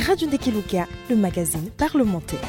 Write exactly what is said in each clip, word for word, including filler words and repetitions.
Radio Ndekeluka, le magazine parlementaire.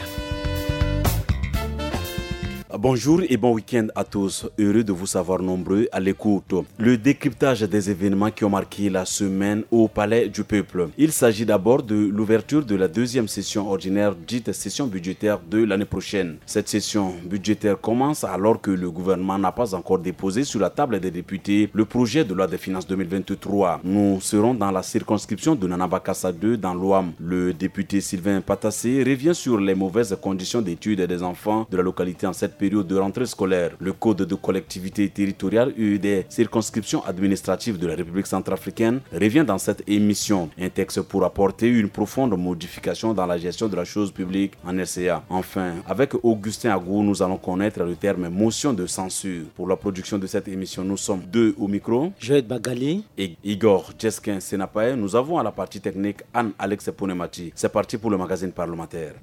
Bonjour et bon week-end à tous. Heureux de vous savoir nombreux à l'écoute. Le décryptage des événements qui ont marqué la semaine au Palais du Peuple. Il s'agit d'abord de l'ouverture de la deuxième session ordinaire, dite session budgétaire de l'année prochaine. Cette session budgétaire commence alors que le gouvernement n'a pas encore déposé sur la table des députés le projet de loi des finances deux mille vingt-trois. Nous serons dans la circonscription de Nanabakasa deux dans l'Ouham. Le député Sylvain Patassé revient sur les mauvaises conditions d'études des enfants de la localité en cette période de rentrée scolaire. Le code de collectivité territoriale et des circonscriptions administratives de la République centrafricaine revient dans cette émission. Un texte pour apporter une profonde modification dans la gestion de la chose publique en R C A. Enfin, avec Augustin Agou, nous allons connaître le terme motion de censure. Pour la production de cette émission, nous sommes deux au micro. Joël Bagali. Et Igor Jeskin Senapae. Nous avons à la partie technique Anne-Alex Ponemati. C'est parti pour le magazine parlementaire.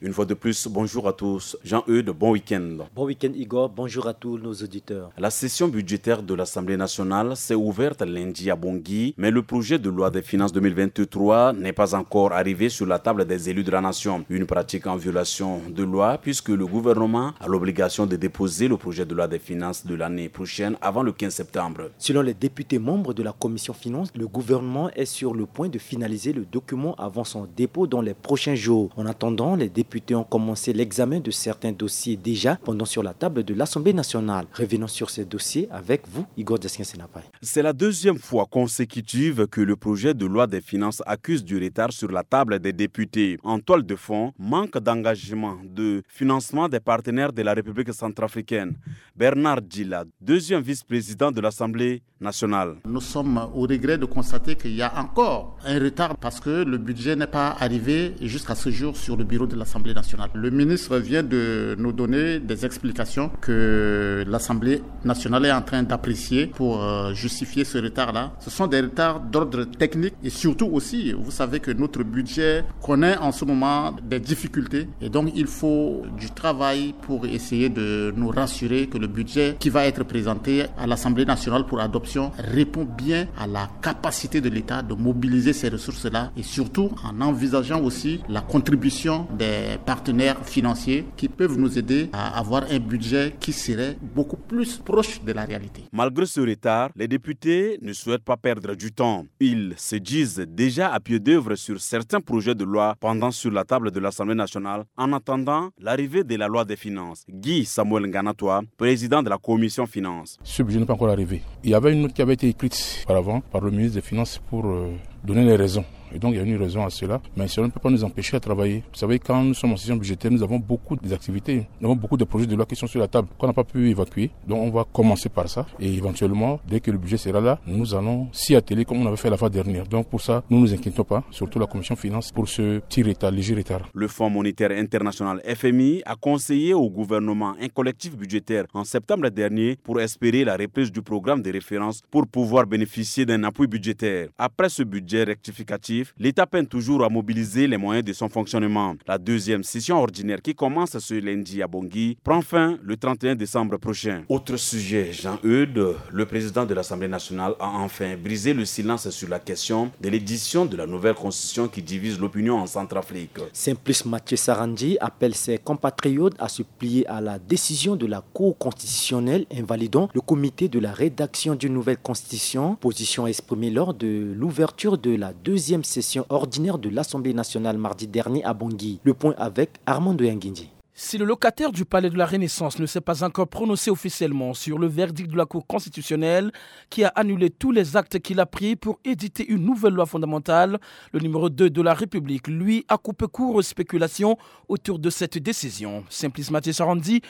Une fois de plus, bonjour à tous. Jean-Eudes, bon week-end. Bon week-end, Igor. Bonjour à tous nos auditeurs. La session budgétaire de l'Assemblée nationale s'est ouverte lundi à Bangui, mais le projet de loi des finances deux mille vingt-trois n'est pas encore arrivé sur la table des élus de la nation. Une pratique en violation de loi, puisque le gouvernement a l'obligation de déposer le projet de loi des finances de l'année prochaine avant le quinze septembre. Selon les députés membres de la commission finances, le gouvernement est sur le point de finaliser le document avant son dépôt dans les prochains jours. En attendant, les députés ont commencé l'examen de certains dossiers déjà pendant sur la table de l'Assemblée nationale. Revenons sur ces dossiers avec vous, Igor Jeskin Senapae. C'est la deuxième fois consécutive que le projet de loi des finances accuse du retard sur la table des députés. En toile de fond, manque d'engagement de financement des partenaires de la République centrafricaine. Bernard Dila, deuxième vice-président de l'Assemblée nationale. Nous sommes au regret de constater qu'il y a encore un retard parce que le budget n'est pas arrivé jusqu'à ce jour sur le bureau de l'Assemblée nationale. Le ministre vient de nous donner des explications que l'Assemblée nationale est en train d'apprécier pour, euh, justifier ce retard-là. Ce sont des retards d'ordre technique et surtout aussi, vous savez que notre budget connaît en ce moment des difficultés et donc il faut du travail pour essayer de nous rassurer que le budget qui va être présenté à l'Assemblée nationale pour adoption répond bien à la capacité de l'État de mobiliser ces ressources-là et surtout en envisageant aussi la contribution des partenaires financiers qui peuvent nous aider à avoir un budget qui serait beaucoup plus proche de la réalité. Malgré ce retard, les députés ne souhaitent pas perdre du temps. Ils se disent déjà à pied d'œuvre sur certains projets de loi pendant sur la table de l'Assemblée nationale en attendant l'arrivée de la loi des finances. Guy Samuel Nganatoua, président de la commission finances. Ce budget n'est pas encore arrivé. Il y avait une note qui avait été écrite auparavant par le ministre des Finances pour, euh, donner les raisons. Et donc, il y a une raison à cela. Mais cela ne peut pas nous empêcher à travailler. Vous savez, quand nous sommes en session budgétaire, nous avons beaucoup d'activités. Nous avons beaucoup de projets de loi qui sont sur la table, qu'on n'a pas pu évacuer. Donc, on va commencer par ça. Et éventuellement, dès que le budget sera là, nous allons s'y atteler comme on avait fait la fois dernière. Donc, pour ça, nous ne nous inquiétons pas, surtout la commission finance, pour ce petit retard, léger retard. Le Fonds monétaire international, F M I, a conseillé au gouvernement un collectif budgétaire en septembre dernier pour espérer la reprise du programme de référence pour pouvoir bénéficier d'un appui budgétaire. Après ce budget rectificatif, l'État peine toujours à mobiliser les moyens de son fonctionnement. La deuxième session ordinaire qui commence ce lundi à Bangui prend fin le trente et un décembre prochain. Autre sujet, Jean-Eudes, le président de l'Assemblée nationale a enfin brisé le silence sur la question de l'édition de la nouvelle constitution qui divise l'opinion en Centrafrique. Simplice Mathieu Sarandji appelle ses compatriotes à se plier à la décision de la Cour constitutionnelle invalidant le comité de la rédaction d'une nouvelle constitution, position exprimée lors de l'ouverture de la deuxième session ordinaire de l'Assemblée nationale mardi dernier à Bangui. Le point avec Armando Yangindji. Si le locataire du Palais de la Renaissance ne s'est pas encore prononcé officiellement sur le verdict de la Cour constitutionnelle qui a annulé tous les actes qu'il a pris pour éditer une nouvelle loi fondamentale, le numéro deux de la République, lui, a coupé court aux spéculations autour de cette décision. Simplice Mathieu Sarandji,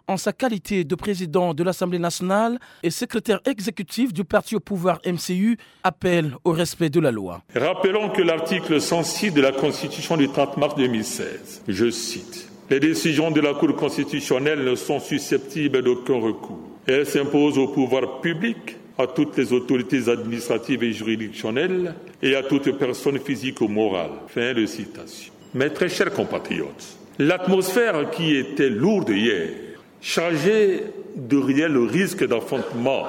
en sa qualité de président de l'Assemblée nationale et secrétaire exécutif du parti au pouvoir M C U, appelle au respect de la loi. Rappelons que l'article cent six de la Constitution du trente mars deux mille seize, je cite, « Les décisions de la Cour constitutionnelle ne sont susceptibles d'aucun recours. Elles s'imposent au pouvoir public, à toutes les autorités administratives et juridictionnelles et à toute personne physique ou morale. » Fin de citation. Mes très chers compatriotes, l'atmosphère qui était lourde hier, chargée de réels risques d'affrontements,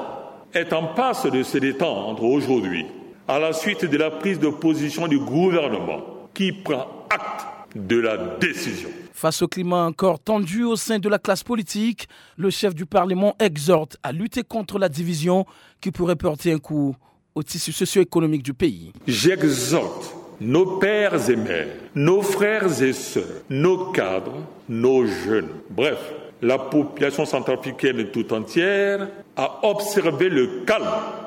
est en passe de se détendre aujourd'hui. à la suite de la prise de position du gouvernement qui prend acte de la décision. Face au climat encore tendu au sein de la classe politique, le chef du Parlement exhorte à lutter contre la division qui pourrait porter un coup au tissu socio-économique du pays. J'exhorte nos pères et mères, nos frères et sœurs, nos cadres, nos jeunes, bref, la population centrafricaine tout entière à observer le calme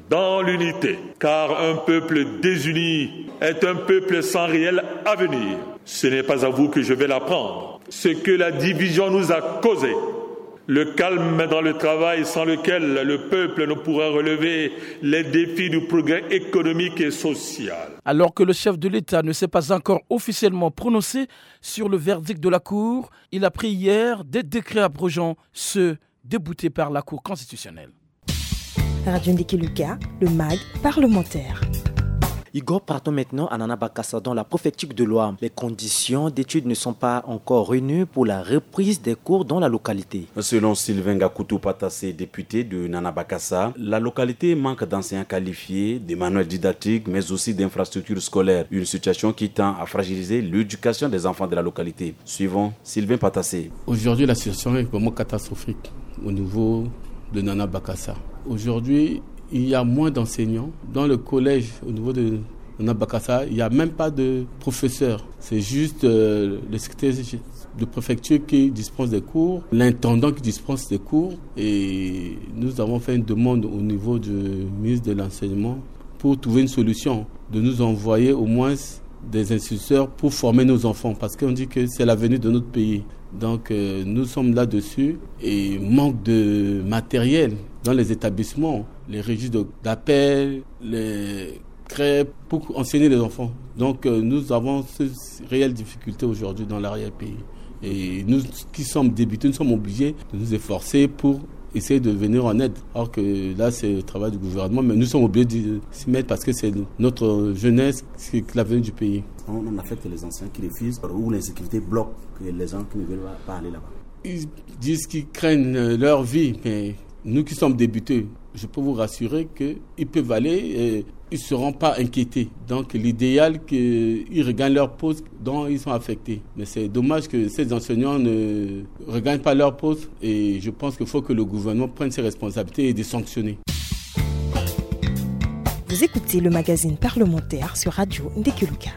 dans l'unité, car un peuple désuni est un peuple sans réel avenir. Ce n'est pas à vous que je vais l'apprendre. Ce que la division nous a causé, le calme dans le travail sans lequel le peuple ne pourra relever les défis du progrès économique et social. Alors que le chef de l'État ne s'est pas encore officiellement prononcé sur le verdict de la Cour, il a pris hier des décrets abrogeant ceux déboutés par la Cour constitutionnelle. Radio Ndiki Luka, le mag parlementaire. Igor, partons maintenant à Nana Bakassa, dans la préfecture de l'Ouham. Les conditions d'études ne sont pas encore réunies pour la reprise des cours dans la localité. Selon Sylvain Ngakutu Patassé, député de Nana Bakassa, la localité manque d'enseignants qualifiés, de manuels didactiques, mais aussi d'infrastructures scolaires. Une situation qui tend à fragiliser l'éducation des enfants de la localité. Suivons Sylvain Patassé. Aujourd'hui, la situation est vraiment catastrophique au niveau de Nana Bakassa. Aujourd'hui, il y a moins d'enseignants. Dans le collège, au niveau de Nana Bakassa, il n'y a même pas de professeur. C'est juste euh, le secrétaire de préfecture qui dispense des cours, l'intendant qui dispense des cours. Et nous avons fait une demande au niveau du ministre de l'Enseignement pour trouver une solution, de nous envoyer au moins des instituteurs pour former nos enfants, parce qu'on dit que c'est l'avenir de notre pays. Donc euh, nous sommes là-dessus et manque de matériel dans les établissements, les registres de- d'appel, les crêpes pour enseigner les enfants. Donc euh, nous avons cette réelle difficulté aujourd'hui dans l'arrière-pays. Et nous qui sommes débutants, nous sommes obligés de nous efforcer pour essayer de venir en aide. Alors que là, c'est le travail du gouvernement, mais nous sommes obligés de s'y mettre parce que c'est notre jeunesse, c'est l'avenir du pays. On affecte les anciens qui refusent ou l'insécurité bloque les gens qui ne veulent pas aller là-bas. Ils disent qu'ils craignent euh, leur vie, mais nous qui sommes débutants, je peux vous rassurer qu'ils peuvent aller, euh, ils ne seront pas inquiétés. Donc l'idéal qu'ils regagnent leur poste dont ils sont affectés. Mais c'est dommage que ces enseignants ne regagnent pas leur poste et je pense qu'il faut que le gouvernement prenne ses responsabilités et de sanctionner. Vous écoutez le magazine parlementaire sur Radio Ndiki Luka.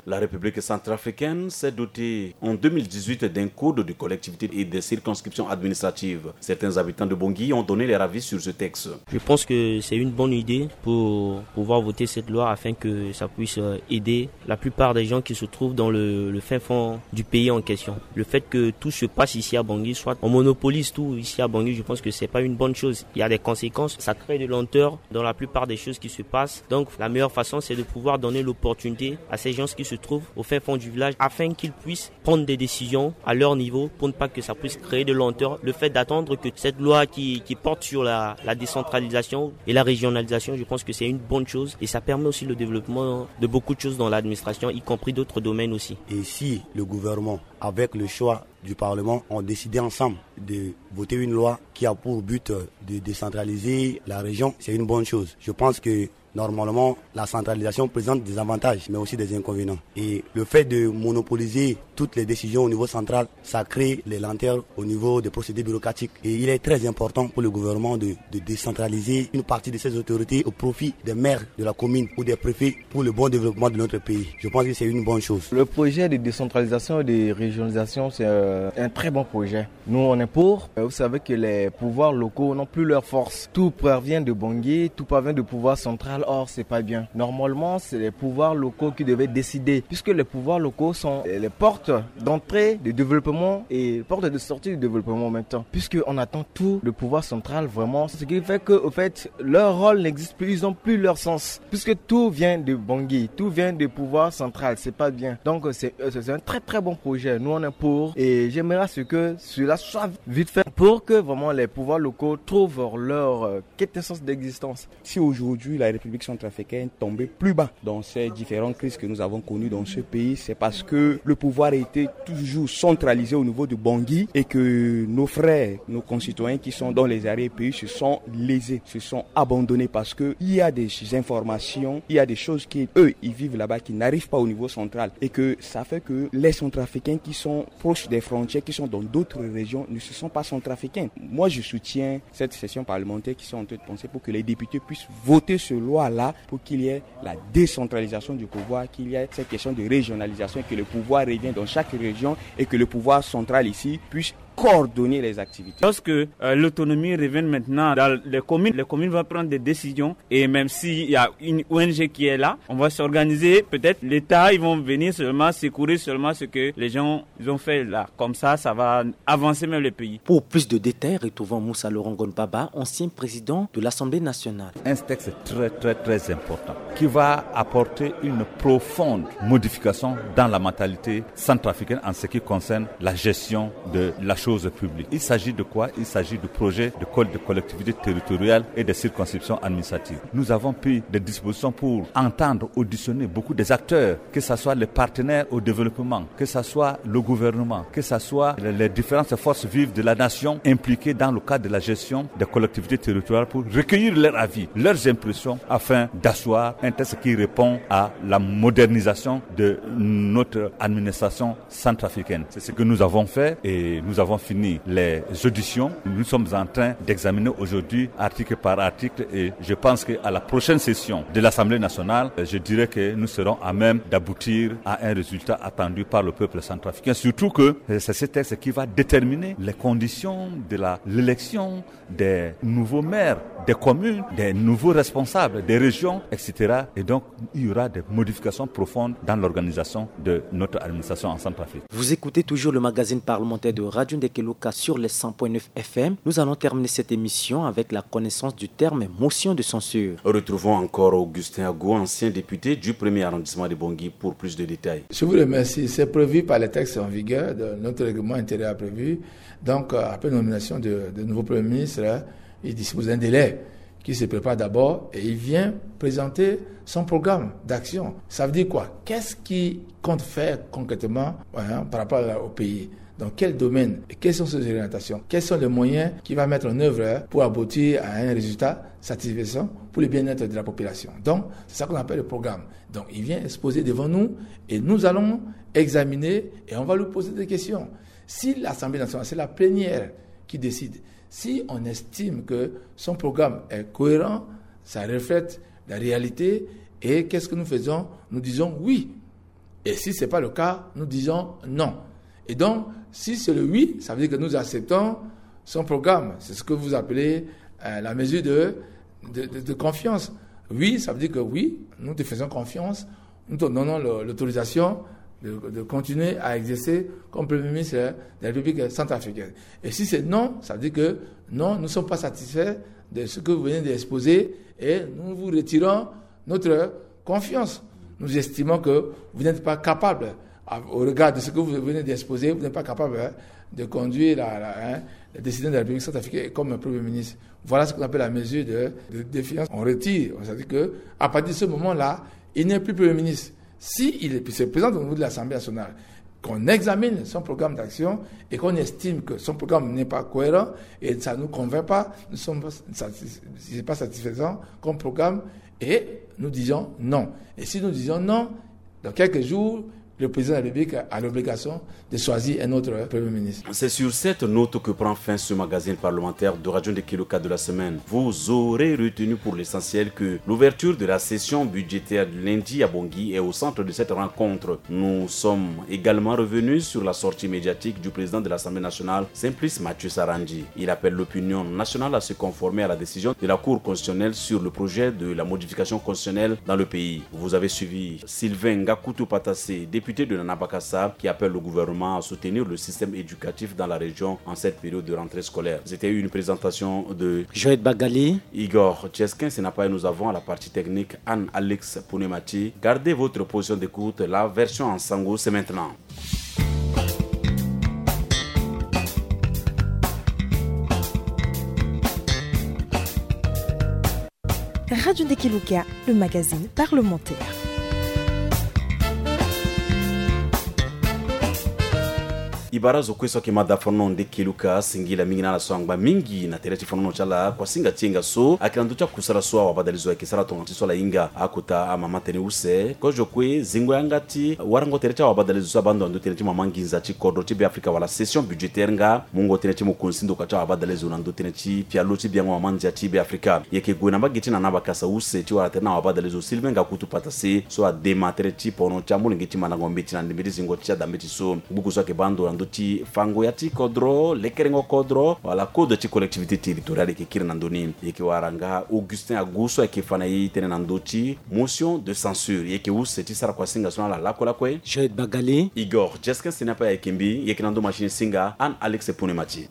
La République centrafricaine s'est dotée en deux mille dix-huit d'un code de collectivité et des circonscriptions administratives. Certains habitants de Bangui ont donné leur avis sur ce texte. Je pense que c'est une bonne idée pour pouvoir voter cette loi afin que ça puisse euh, aider la plupart des gens qui se trouvent dans le, le fin fond du pays en question. Le fait que tout se passe ici à Bangui, soit on monopolise tout ici à Bangui, je pense que c'est pas une bonne chose. Il y a des conséquences, ça crée de lenteur dans la plupart des choses qui se passent. Donc la meilleure façon, c'est de pouvoir donner l'opportunité à ces gens qui se trouvent au fin fond du village afin qu'ils puissent prendre des décisions à leur niveau pour ne pas que ça puisse créer de lenteur. Le fait d'attendre que cette loi qui, qui porte sur la, la décentralisation et la régionalisation, je pense que c'est une bonne chose et ça permet aussi le développement de beaucoup de choses dans l'administration, y compris d'autres domaines aussi. Et si le gouvernement, avec le choix du Parlement, ont décidé ensemble de voter une loi qui a pour but de décentraliser la région, c'est une bonne chose. Je pense que normalement, la centralisation présente des avantages, mais aussi des inconvénients. Et le fait de monopoliser toutes les décisions au niveau central, ça crée les lenteurs au niveau des procédures bureaucratiques. Et il est très important pour le gouvernement de, de décentraliser une partie de ses autorités au profit des maires de la commune ou des préfets pour le bon développement de notre pays. Je pense que c'est une bonne chose. Le projet de décentralisation et de régionalisation, c'est euh, un très bon projet. Nous, on est pour. Euh, Vous savez que les pouvoirs locaux n'ont plus leur force. Tout provient de Bangui, tout provient du pouvoir central. Or, c'est pas bien. Normalement, c'est les pouvoirs locaux qui devaient décider, puisque les pouvoirs locaux sont euh, les portes d'entrée du développement et portes de sortie du développement en même temps. Puisque on attend tout le pouvoir central vraiment, ce qui fait que, au fait, leur rôle n'existe plus, ils ont plus leur sens. Puisque tout vient de Bangui, tout vient du pouvoir central, c'est pas bien. Donc, c'est euh, c'est un très très bon projet. Nous, on est pour. Et j'aimerais à ce que cela soit vite fait pour que vraiment les pouvoirs locaux trouvent leur euh, quintessence d'existence. Si aujourd'hui la République République centrafricaine tomber plus bas dans ces différentes crises que nous avons connues dans ce pays, c'est parce que le pouvoir était toujours centralisé au niveau de Bangui et que nos frères, nos concitoyens qui sont dans les arrière-pays se sont lésés, se sont abandonnés parce que il y a des informations, il y a des choses qui, eux, ils vivent là-bas qui n'arrivent pas au niveau central et que ça fait que les centrafricains qui sont proches des frontières, qui sont dans d'autres régions, ne se sont pas centrafricains. Moi, je soutiens cette session parlementaire qui sont en train de penser pour que les députés puissent voter ce loi-là pour qu'il y ait la décentralisation du pouvoir, qu'il y ait cette question de régionalisation et que le pouvoir revienne dans chaque région et que le pouvoir central ici puisse coordonner les activités. Lorsque euh, l'autonomie revient maintenant dans les communes, les communes vont prendre des décisions et même s'il y a une O N G qui est là, on va s'organiser. Peut-être l'État, ils vont venir seulement secourir seulement ce que les gens ils ont fait là. Comme ça, ça va avancer même le pays. Pour plus de détails, retrouvons Moussa Laurent Gonbaba, ancien président de l'Assemblée nationale. Un texte très, très, très important qui va apporter une profonde modification dans la mentalité centrafricaine en ce qui concerne la gestion de la chose publique. Il s'agit de quoi ? Il s'agit du projet de code de collectivité territoriale et des circonscriptions administratives. Nous avons pris des dispositions pour entendre, auditionner beaucoup des acteurs, que ce soit les partenaires au développement, que ce soit le gouvernement, que ce soit les, les différentes forces vives de la nation impliquées dans le cadre de la gestion des collectivités territoriales pour recueillir leurs avis, leurs impressions afin d'asseoir un texte qui répond à la modernisation de notre administration centrafricaine. C'est ce que nous avons fait et nous avons fini les auditions. Nous sommes en train d'examiner aujourd'hui article par article et je pense qu'à la prochaine session de l'Assemblée nationale, je dirais que nous serons à même d'aboutir à un résultat attendu par le peuple centrafricain. Surtout que c'est ce texte qui va déterminer les conditions de la, l'élection des nouveaux maires, des communes, des nouveaux responsables, des régions, et cetera. Et donc, il y aura des modifications profondes dans l'organisation de notre administration en Centrafrique. Vous écoutez toujours le magazine parlementaire de Radio Ndekeloka sur les cent point neuf F M. Nous allons terminer cette émission avec la connaissance du terme motion de censure. Retrouvons encore Augustin Ago, ancien député du premier arrondissement de Bangui, pour plus de détails. Je vous remercie. C'est prévu par les textes en vigueur. De, notre règlement intérieur a prévu. Donc, euh, après nomination de, de nouveau Premier ministre, hein, il dispose d'un délai qui se prépare d'abord et il vient présenter son programme d'action. Ça veut dire quoi ? Qu'est-ce qu'il compte faire concrètement, hein, par rapport à, au pays ? Dans quel domaine ? Et quelles sont ses orientations ? Quels sont les moyens qu'il va mettre en œuvre, hein, pour aboutir à un résultat satisfaisant pour le bien-être de la population ? Donc, c'est ça qu'on appelle le programme. Donc, il vient exposer devant nous et nous allons examiner et on va lui poser des questions. Si l'Assemblée nationale, c'est la plénière qui décide, si on estime que son programme est cohérent, ça reflète la réalité, et qu'est-ce que nous faisons ? Nous disons oui. Et si ce n'est pas le cas, nous disons non. Et donc, si c'est le oui, ça veut dire que nous acceptons son programme. C'est ce que vous appelez, euh, la mesure de, de, de, de confiance. Oui, ça veut dire que oui, nous te faisons confiance, nous te donnons le, l'autorisation de, de continuer à exercer comme Premier ministre de la République centrafricaine. Et si c'est non, ça veut dire que non, nous ne sommes pas satisfaits de ce que vous venez d'exposer et nous vous retirons notre confiance. Nous estimons que vous n'êtes pas capable, à, au regard de ce que vous venez d'exposer, vous n'êtes pas capable, hein, de conduire la, la, hein, la décision de la République centrafricaine comme Premier ministre. Voilà ce qu'on appelle la mesure de, de défiance. On retire. C'est-à-dire que, à partir de ce moment-là, il n'est plus Premier ministre. Si il est, se présente au niveau de l'Assemblée nationale, qu'on examine son programme d'action et qu'on estime que son programme n'est pas cohérent et ça ne nous convainc pas, nous sommes pas satis-, c'est pas satisfaisant comme programme et nous disons non. Et si nous disons non, dans quelques jours, le président de la République a l'obligation de choisir un autre Premier ministre. C'est sur cette note que prend fin ce magazine parlementaire de Radio Ndekeloka de la semaine. Vous aurez retenu pour l'essentiel que l'ouverture de la session budgétaire de lundi à Bangui est au centre de cette rencontre. Nous sommes également revenus sur la sortie médiatique du président de l'Assemblée nationale, Simplice Mathieu Sarandji. Il appelle l'opinion nationale à se conformer à la décision de la Cour constitutionnelle sur le projet de la modification constitutionnelle dans le pays. Vous avez suivi Sylvain Ngakutu Patassé, député de Nanabakasa, qui appelle le gouvernement à soutenir le système éducatif dans la région en cette période de rentrée scolaire. C'était une présentation de Joël Bagali, Igor Tcheskin, Sénapaï. Nous avons à la partie technique Anne-Alex Pounemati. Gardez votre position d'écoute. La version en sango, c'est maintenant. Radio Ndekeluka, le magazine parlementaire. E bara zo kue so ayeke mada fono Ndekeluka, singila mingi na ala so angba mingi na tere ti fonono ti ala. Kuasinga ti yenga so ayeke na ndö ti akusala so awabadalezo ayeke sara tonga ti so ala hinga akota amama tënë use. Kozo kue zingo yanga ti warango tere ti awabadalezo so abaa ndo na ndö tënë ti mama nginza ti kodro ti Be Afrika wala session budgétaire nga mungo tënë ti mokonzi ti ndoka ti awabadalezo na ndö tënë ti pialo ti biango mama ndia ti Be Afrika. E yeke gue na mbage ti nana bakasa use ti wara tere na awabadalezo Sylvain Ngakutu Patase so adema tere ti pono ti amolenge ti mandango mbeti na ndembe ti zingo ti adambeti so. Gbuku so ayeke baa ndo na ndö ti fango ya ti kodro, lekerengo kodro wala code ti collectivité territoriale e yeke kiri na ndö ni. E yeke wara nga Augustin Agu so ayeke fa na e tënë na ndö ti motion de censure. E yeke use ti sara kuasinga so na ala lakue lakue. Joël Bagali, Igor Jesquin Senapa ayeke mbi, e yeke na ndö machine singa Anne Alex Pune Mati.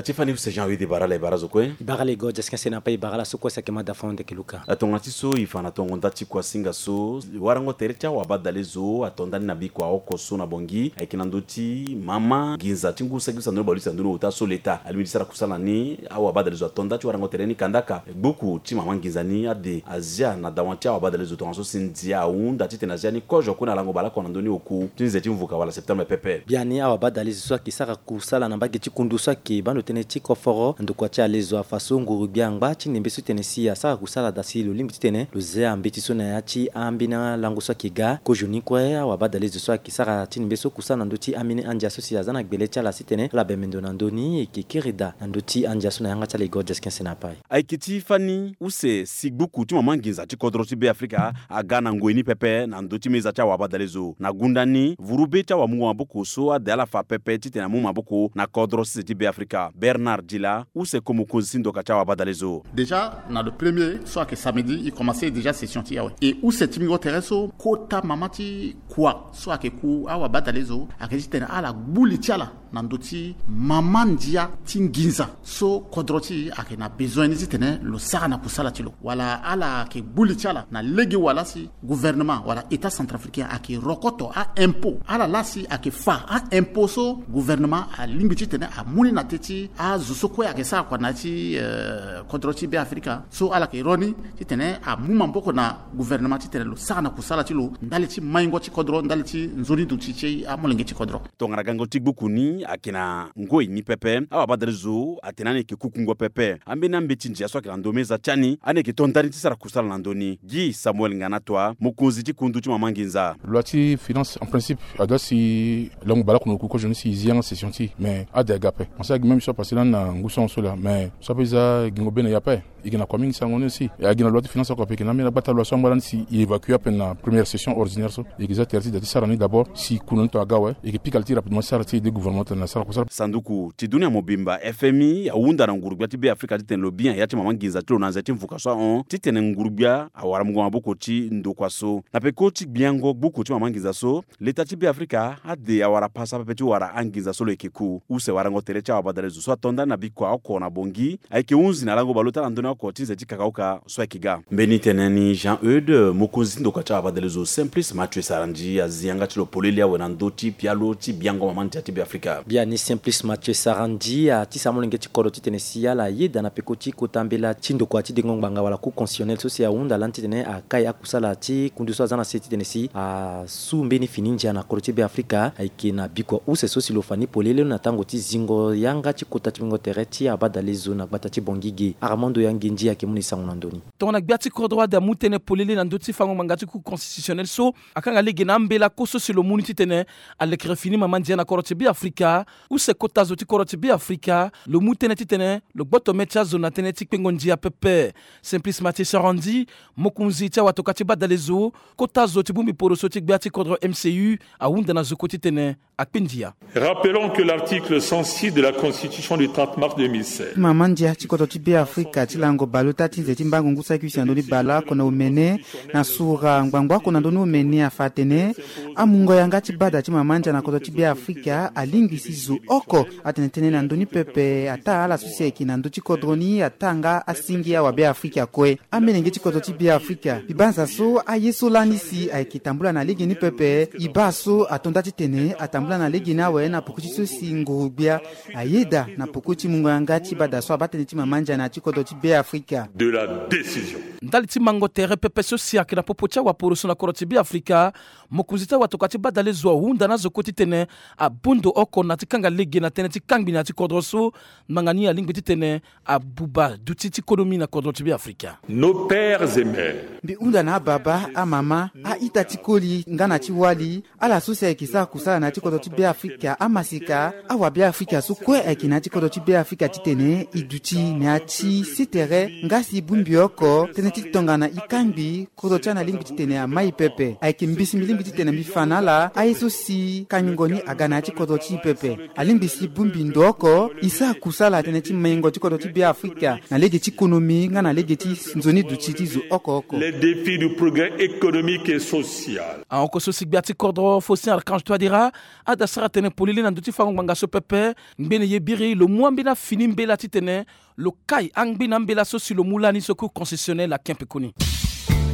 Ti fani use Jean Wede bara la e bara zo kue. E bara la Igor Jesquin Senapa, e bara la so kue si ayeke mada fono Ndekeluka. Tongana ti so e fa na tongo nda ti kuasinga so, warango tere ti awabadalezo ato ndani na bikua oko so na Bongi ayeke na ndö ti mama nginza ti ngu saki ti sandoni baleuse na ndö ni ota so leta alingbi ti sara kusala na ni. Awabadalezo ato nda ti warango tere ni kandaka. Gbuku ti mama nginza ni ade azia na dawa ti awabadalezo tongaso si ndia ahunda titene azia ni kozo kue na lango baleoko na ndö ni oku ti nze ti mvuka wala septembre pepe. Biani awabadalezo so ayeke sara kusala na mbage ti kundu so ayeke baa ndo tënë ti koforo ndokua ti alezo afa so nguru-gbia angba ti nembe so titene si asara kusala da si lo lingbi titene lo zia mbeti so na ya ti ambeni alango so ayeke ga. Kozoni kue awabadalezo so ayeke sara ti nembe so kusala na ndö ti ambeni andia so si aza na gbele ti ala si titene ala bembe ndo na ndö ni e yeke kiri da na ndö ti andia so na yanga ti ala Igor Jesquin Senapa. Ayeke ti fani use si gbuku ti mama nginza ti kodro ti Be Afrika aga na ngoi ni pepe na ndö ti meza ti awabadalezo. Na gunda ni vuru be ti awamungo maboko so ade ala fa pepe titene amu maboko na kodro sese ti Be Afrika. Bernard Dila, use ko mokonzi ti ndoka ti awabadalezo. Déjà na le premier so ayeke samedi e commence déjà session ti e awe. E use ti mingo tere so kota mama ti kua so ayeke ku awabadalezo ayeke titene ala gbu li ti ala na ndö ti mama ndia ti nginza so kodro ti e ayeke na bezoin ni titene lo sara na kusala ti lo, wala ala yeke gbu li ti ala na lege wala si gouvernement wala état centrafricain ayeke rokoto a-impôt. Ala laa si ayeke fa a-impôt so gouvernement alingbi titene amu ni na te ti azo so kue ayeke sara kua na ya ti, eh, kodro ti Be Afrika. So ala yeke ro ni titene amu maboko na gouvernement titene lo sara na kusala ti lo ndali ti maingo ti kodro, ndali ti nzoni duti ti amolenge ti kodro. Tongana gango ti gbuku ni ayeke na ngoi ni pepe, awabadalezo atene ani yeke kukungo pepe. Ambeni ambeti ndia so ayeke na ndo meza ti ani, ani yeke to ndani ti sara kusala na ndö ni. Guy Samuel Nganatoa, mokonzi ti kundu ti mama nginza. Loi ti finance en principe adoit si lango baleoko na oku kozoni si e zi yanga session ti e, mais ade aga ape. Parce que agi même so apasse lani na ngu sango so laa, mais so ape e za gingo be na e ape. E yeke na kua mingi sango ni aussi. E yeke na loi ti finance oko ape, e yeke na ambeni agbata loi so angba lani si e évacue ape na première session ordinaire so. E yeke za tere ti da ti sara ni d'abord si kundu ni tongana aga awe, e yeke pika li ti rapidement ti sara ti aide gouvernement tongana asara kusala. Sanduku ti dunia mobimba, F M I, ahunda na nguru-gbia ti Be Afrika titene lo bi na ya ti mama nginza ti lo na nze ti mvuka so ahon titene nguru-gbia awara mungo maboko ti ndokua so. Na peko ti gbiango gbuku ti mama nginza so, leta ti Be Afrika ade awara pasa pepe ti wara anginza so lo yeke ku. Use warango tere ti awabadalezo so ato ndani na bikua oko na Bongi ayeke hunzi na lango baleota na ndö ni oko ti nze ti kakaoka so ayeke ga. Mbeni tene ni Jean Eude, mokonzi ti ndokua ti awabadalezo Simplice Mathieu Sarandji azi yanga ti lo polele awe na ndö ti pialo ti biango mama ndia ti Be Afrika. Biani Simplice Mathieu Sarandji atisa amolenge ti kodro titene si ala yeda na peko ti kota mbela ti ndokua ti dengo ngbanga wala Cour constitutionnelle so si ahunda lani titene akai akusala ti kundu so aza na se titene si a su mbeni fini ndia na kodro ti Be Afrika. Ayeke na bikua use so si lo fa ni polele na tango ti zingo yanga ti kota ti bingo tere ti abadalezo na gbata ti Bongi ge. Armando Yangendi ayeke mu na e sango na ndö ni. Tongana gbia ti kodro ade amu tënë polele na ndö ti fango ngbanga ti Cour constitutionnelle so akanga lege na ambela kue so si lo mu ni titene alekere fini mama ndia na kodro ti Be Afrika. Use kota zo ti kodro ti Be Afrika lo mu tënë titene lo gboto mê ti azo na tënë ti kpengo ndia pepe. Simplice Mathieu Sarandji, mokonzi ti awatoka ti badalezo, kota zo ti bongbi poroso ti gbia ti kodro M C U, ahunda na zo kue titene akpe ndia. Rappelons que l'article cent six de la Constitution du trente mars deux mille seize. Mama ndia ti kodro ti Be Afrika ti lango baleota ti nze ti mbango ngu saki use na ndö ni baleoko na omene na sura ngbangbo oko na ndö ni omene afa atene Amungo yanga ti bada ti mama ndia na kodro ti Beafrika alingbi si zo oko atene tënë na ndö ni pepe, ataa ala so si ayeke na ndö ti kodro ni, ataa nga asingi awa Beafrika kue. Amolenge ti kodro ti Beafrika, mbi banza so aye so lani si ayeke tambula na lege ni pepe, e baa so ato nda titene atambula na lege ni awe na poko ti so si nguru-gbia ayeda na poko ti mungo yanga ti bada so abaa tënë ti mama ndia na ya ti kodro ti Beafrika. De la décision. Ndali ti mango tere pepe so si ayeke na popo ti awaporoso na kodro ti Beafrika, mokonzi ti awatokua ti badale zo ahunda na azo kue titene abondo oko na ya ti kanga lege na tënë ti kangbi na ya ti kodro so, ngbanga ni alingbi titene abuba duti ti konomi na kodro ti Beafrika. Nos pères et mères. Mbi hunda na ababa, amama, a-ita ti koli nga na ti wali, ala so si ayeke sara kusala na ya ti kodro ti Beafrika, amaseka, awa Beafrika so kue ayeke na ya ti kodro ti Beafrika titene e duti na ya ti sii tere nga si e bongbi oko tënë ti tongana e kangbi kodro ti ala na lingbi titene amai pepe. Ayeke mbi si mbi lingbi titene mbi fa na ala aye so si kangingo ni aga na ya ti kodro ti e pepe. Alingbi si e bongbi ndo oko e sara kusala tënë ti maingo ti kodro ti Beafrika na lege ti konomi nga na lege ti nzoni duti ti zo oko oko. Les défis du progrès économique et social. Ahon oko so si gbia ti kodro Faustin Archange Touadéra ada sara tënë polele na ndö ti fango ngbanga so pepe. Ngbene ye biri lo mu ambeni afini mbela titene lo kai angbeni ambela so si lo mu lani so kue constitutionnel ake mpe koni.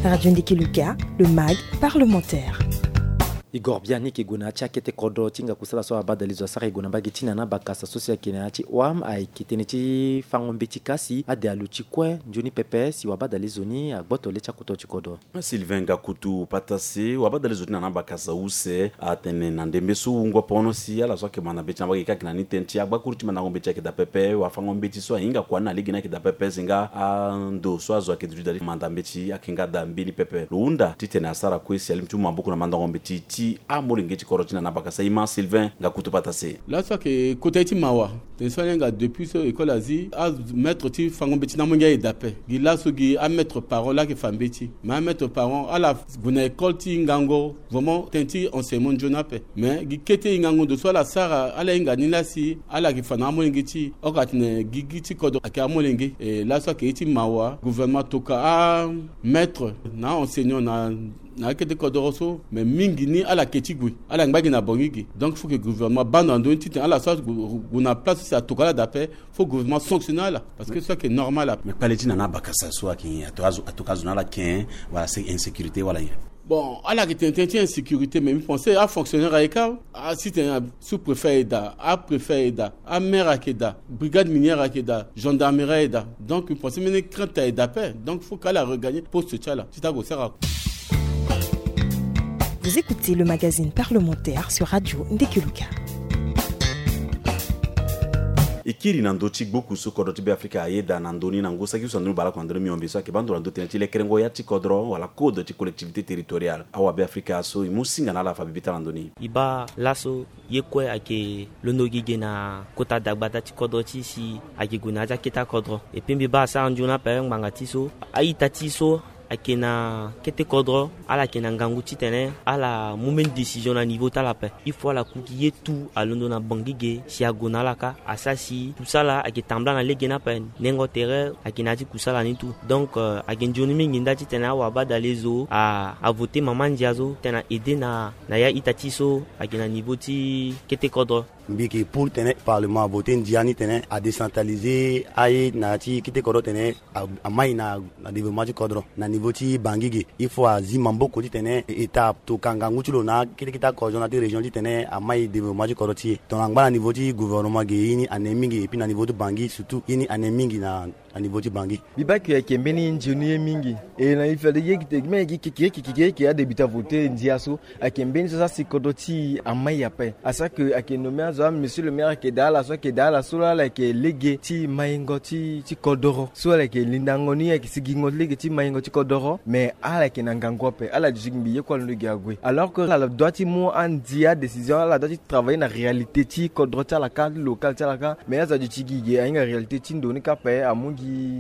Radio Ndiki Luka, le mag parlementaire. Igor Biani ayeke gue na ya ti akete kodro ti hinga kusala so abadale zo asara e gue na mbage ti na na bakasa so si ayeke na ya ti O A M ayeke tënë ti fango mbeti kasi ade aluti kue nzoni pepe si wabadale zo ni agboto le ti akoto ti kodro. Sylvain Ngakutu Patase, wabadale zo ti na na bakasa use atene na ndembe so wungo pono si ala so ayeke manda mbeti na mbage kâ ayeke na ni tënë ti agbakuru ti mandango mbeti ayeke daa pepe, wafango mbeti so ahinga kua ni na lege ni ayeke daa pepe si nga ando so azo ayeke duti daa ti manda mbeti ayeke nga daa mbeni pepe. Lo hunda titene asara kue si alingbi ti mu maboko na mandango mbeti ti amolenge ti kodro ti na na bakasa. Ima Sylvain Ngakutu Patase. Laso ayeke kota ye ti mawa. Tene so ala hinga depuis so école azi, amaître ti fango mbeti na amolenge aye daa ape. Gi laso gi amaître parent laa ayeke fa mbeti. Mais amaître parent ala gue na école ti hingango, vraiment tënë ti enseignement nzoni ape. Mais gi kete hingango ndo so ala sara, ala hinga ni laa si ala yeke fa na amolenge ti e. Oko atene gigi ti kodro ayeke amolenge. E laso ayeke ye ti mawa, gouvernement atoka amaître na aenseignant na na akete kodoro so, mais mingi ni ala ke ti gue, ala ngba gi na bangi ge. Donc faut que gouvernement abâ ndo na ndö ni titene ala so ague na place so si atokua ala daa ape, faut gouvernement sanctionner ala, parce que so ayeke normal ape. Mais kpale ti na na abakasa so ayeke atoka azo na ala ken, wala insécurité wala nyen? Bon, ala yeke tene tënë ti insécurité, mais mbi pense afonctionnaire ayeke awe. Asi tene sous-préfet ayeke daa, apréfet ayeke daa, amaire ayeke daa, brigade minière ayeke daa, gendarmerie ayeke daa. Donc mbi pense mbeni crainte ayeke daa ape. Donc faut que ala regagner poste ti ala ti ta go sara. Vous écoutez le magazine parlementaire sur Radio Ndeke Luka. E kiri na ndö ti gboku so kodro ti Beafrika ayeda na ndö ni na ngu saki so na ndö ni baleoko na ndö ni miombe so ayeke baa ndo na ndö tënë ti lekerengo ya ti kodro wala code ti collectivité territoriale. Awa Beafrika so e mu singa na ala fa bibi taa na ndö ni. E baa laso ye kue ayeke londo gi ge na kota dagbata ti kodro ti e si ayeke gue na ya ti akete akodro. Epui mbi baa asara nzoni ape ngbanga ti so a-ita ti e so ayeke na kete kodro, ala yeke na ngangu titene ala mu mbeni décision na niveau ti ala ape. Il faut ala ku gi ye tout alondo na bangi ge si ague na ala kâ, asara si kusala ayeke tambula na lege ni ape. Nengo tere ayeke na ya ti kusala ni tout. Donc euh, ayeke nzoni mingi nda titene awabadale zo a, avote mama ndia so titene a aide na, na ya ita ti so ayeke na niveau ti kete kodro. Mbi yeke pour tene parlement avote ndia ni tene a décentraliser aye na ya ti kete kodro tene a, amai na, na développement ti kodro na niveau ti bangi ge. Il faut azi maboko titene état atoka ngangu ti lo na kete kete akodro na ti région titene amai développement ti kodro ti e. Tongana angba na niveau ti gouvernement ge, ye ni ane mingi, epui na niveau ti bangi surtout ye ni ane mingi na na niveau ti bangi. Mbi baa ke ayeke mbeni nzoni ye mingi. E na e fade ye keke ye keke ye keke ye keke adébuté avote ndia so ayeke mbeni so asara si kodro ti e amai ape. Asara ke ayeke nommé azo, a monsieur le maire ayeke daa ala so ayeke daa ala so laa ala yeke lege ti maingo ti, ti kodoro. So ala yeke lindango ni ayeke sigingo lege ti maingo ti kodoro. Mais ala yeke na ngangu ape, ala duti gi mbi ye kue alondo gi ague. Alors que ala doit ti mu andi adécision, ala doit ti travailler na réalité ti kodro ti ala kâ, ti local ti ala kâ. Mais azo aduti gi ge ahinga réalité ti ndo ni kâ ape, amu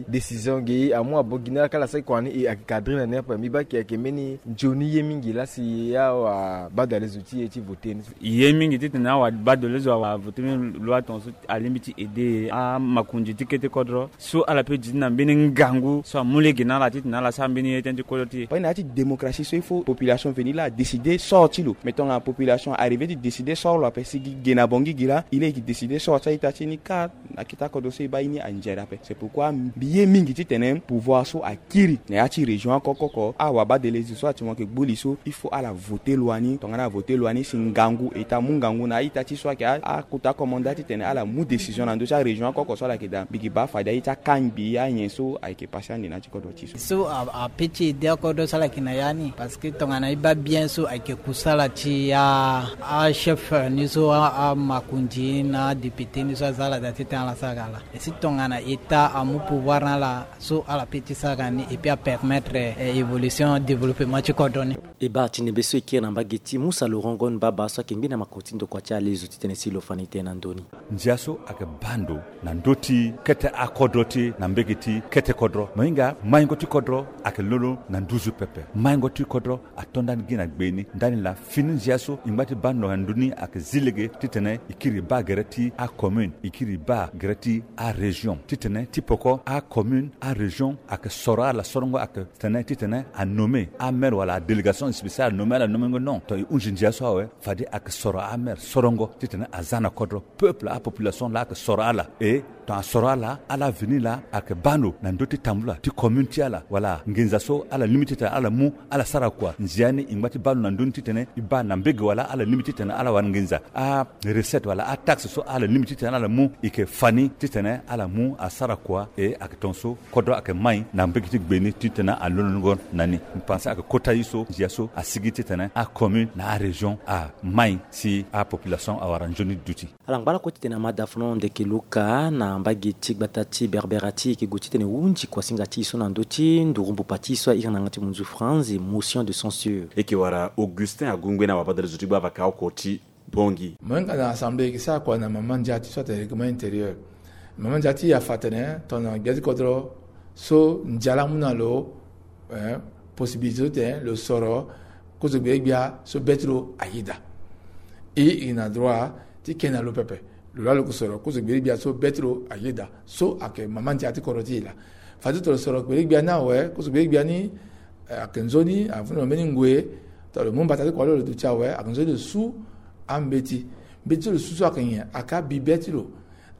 Décision ge amu abo gi na ala kala saki kua ni e ayeke cadre na ni ape. Mbi baa ayeke mbeni nzoni ye mingi laa si awabadale zo ti e ti vote ni. Ye mingi titene awabadale zo awavote mbeni loi tongaso alingbi ti aide amakonzi ti kete kodro so ala pe zi ti na mbeni ngangu so amu lege na ala titene ala sara mbeni ye tënë ti kodro ti e. Pari na ya ti démocratie so il faut population veni laa adécide sort ti lo. Mais tongana population arrivé ti décide sort lo ape si gi ge na bongi gi laa il est ki décide sort ti a-ita ti ni kar na kita kodro so e baa ye ni anzere ape. C'est pourquoi mbi ye mingi titene pouvoir so akiri na ya ti région oko oko oko awabadale zo so ati mo ayeke gbu li so il faut ala vote loi ni. Tongana avote loi ni si ngangu e ta mu ngangu na a-ita ti so ayeke a- akota commandant titene ala mu décision na ndö ti arégion oko oko so ala yeke daa. Mbi yeke baa fade a-ita kangbi anyen so ayeke pase ande na ya ti kodro ti so. So a- ape ti ede akodro so ala yeke na ya ni parce que tongana e baa bien so ayeke kusala ti a- achef ni so a- amakonzi na adéputé ni so aza ala daa titene ala sara ala. E si tongana état amu pouvoir na ala so ala pe ti sara ni et puis apermettre eh, évolution développement ti kodro ni. E baa ti nembe so e kiri na mbage ti Musa Laurent Ngon Baba so ayeke ngbi na makoro ti ndokua ti alezo titene si lo fa ni tënë na ndö ni. Ndia so ayeke baa ndo na ndö ti kete akodro ti e na mbage ti kete kodro. Mo hinga maingo ti kodro ayeke lolo na nduzu pepe. Maingo ti kodro ato ndani gi na gbe ni ndani laa fini ndia so e ngba ti baa ndo na ndö ni ayeke zi lege titene e kiri e baa gere ti acommune, e kiri e baa gere ti arégion titene ti poko acommune arégion ayeke soro ala sorongo ayeke tene titene anommé amaire wala adélégation spéciale anommé ala nommengo non. Ton e hunzi ndia so awe fade ayeke soro amaire sorongo titene aza na kodro peuple apopulation laa ayeke soro ala. E ton asoro ala ala veni laa ayeke baa ndo na ndö ti tambula ti commune ti ala wala nginza so ala limbi titene ala mu ala sara kua. Ndia ni e ngba ti baa ndo na ndö ni titene e baa na mbege wala ala limbi titene ala wara nginza arecette wala ataxe so ala limbi titene ala mu e yeke fa ni titene ala mu asara kua. E ayeke tongaso kodro ayeke mai na mbege ti gbe ni titene alonongo na ni. Mbi pense ayeke kota ye so ndia so asigi titene acommune na arégion amai si apopulation awara nzoni duti. Ala ngba lakue titene Amadou Dafno Ndeke Luka na mbage ti gbata ti Berbera ti e yeke gue titene e hunzi kuasinga ti e so na ndö ti nduru mbupa ti e so a iri na yanga ti munzu France motion de censure. E yeke wara Augustin Agungbe na wabadale zo ti gba vaka oko ti Bangui. Mo hinga na assemblée e yeke sara kua na mama ndia ti e so atene règlement intérieur. Mama ndia ti e afa atene tongana gbia ti kodro so ndia laa amu na lo eh, possibilité so tene lo soro kozo gbele gbia so be ti lo ayeda. E e na droit ti ke na lo pepe. Lo laa lo yeke soro kozo gbele gbia so be ti lo ayeda so ayeke mama ndia ti kodro ti e laa. Fade tongana lo soro gbele gbia ni awe kozo gbele gbia ni eh, ayeke nzoni avundu na mbeni ngoi. Tongana lo mu mbata ti kua lo lo duti awe ayeke nzoni lo su ambeti. Mbeti so lo su so ayeke nyen? Ayeke abi be ti lo.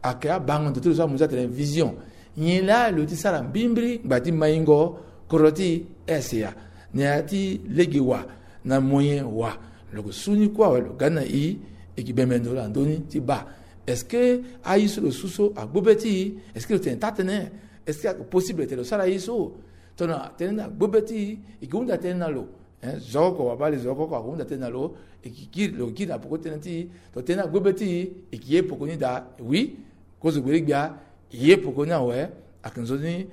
Ayeke abango ndo ti lo so amu ti atene vision. Nyen laa lo ti sara mbrimbri ngba ti maingo kodro ti E S A na ya ti lege wa na moyen wa. Lo yeke su ni kue awe lo ga ni na e. E yeke bembe ndo na ndö ni ti baa est-ce que aye so lo su so agbu be ti e? Est-ce que lo tene taa-tënë? Est-ce que ayeke possible tene lo sara aye so? Tongana tënë ni agbu be ti e, e yeke hunda tënë na lo. Hein, zo oko wabali zo oko oko ahunda tënë na lo. E yeke kiri lo yeke kiri na poko ti tënë ti e. Tongana tënë ni agbu be ti e, e yeke ye poko ni daa. Oui, kozo gbele gbia e ye poko ni awe. Ayeke nzoni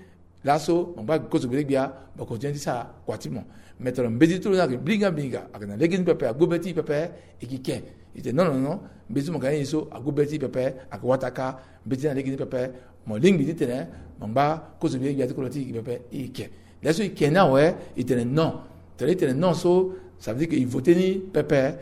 laso mo ngba kozo gbele gbia mo yeke ti sara kua ti mo. Mais tongana mbeti ti lo ni ayeke blinga blinga ayeke na lege ni pepe agbu be ti e pepe, e yeke ke. E tene non non non, mbeti ti mo ga ni so agbu be ti e pepe. Ayeke wataka mbeti ni na lege ni pepe. Mo lingbi titene mo ngba kozo gbele gbia ti kodro ti e pepe, e ke. Laso e ke ni awe, e tene non. Tene e tene non so, ça veut dire que e vote ni pepe.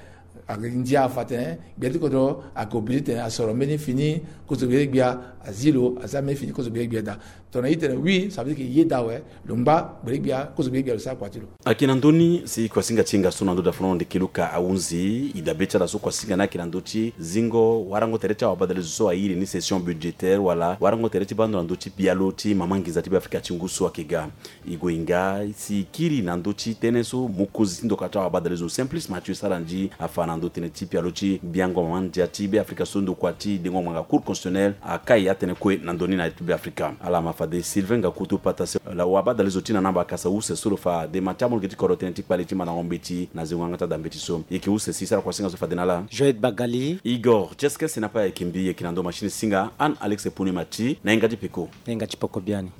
Ayeke ndia afa atene gbele ti kodro ayeke obligé titene asoro mbeni fini kozo gbele gbia. Azi lo aza mbeni fini kozo gbele gbia daa. Tongana e tene oui, ça veut dire que e yeda awe. Lo ngba gbele gbia, kozo gbele gbia lo sara kua ti lo. Ayeke na ndö ni si kuasinga ti hinga so na ndö Dafno Ndeke Luka ahunzi, e dabe ti ala so kuasinga ni ayeke na ndö ti zingo warango tere ti awabadale zo so airi ni session budgétaire wala warango tere ti baa ndo na ndö ti bialo ti mama nginza ti Beafrika ti ngu so ayeke ga. E gue hinga si e kiri na ndö ti tënë so mokonzi ti ndokua ti awabadale zo Simplice Mathieu Sarandji afa na ndö tënë ti pialo ti biango mama ndia ti Beafrika so ndokua ti dengo ngbanga Cour constitutionnelle akai atënë kue na ndö ni na ya ti Beafrika. Ala ma fade Sylvain Gakutu Pata si lo wabadale zo ti na namba akasa use so lo fa dema ti amolenge ti kodro tënë ti kpale ti mandango mbeti na zingo yanga ti ada mbeti so. E yeke use si e sara kuasinga so fade na ala. Joël Bagali. Igor Tcheskes na pa ayeke mbi, e yeke na ndo machine singa Anne Alex Pune Mati na hinga ti peko. Na hinga ti peko biani.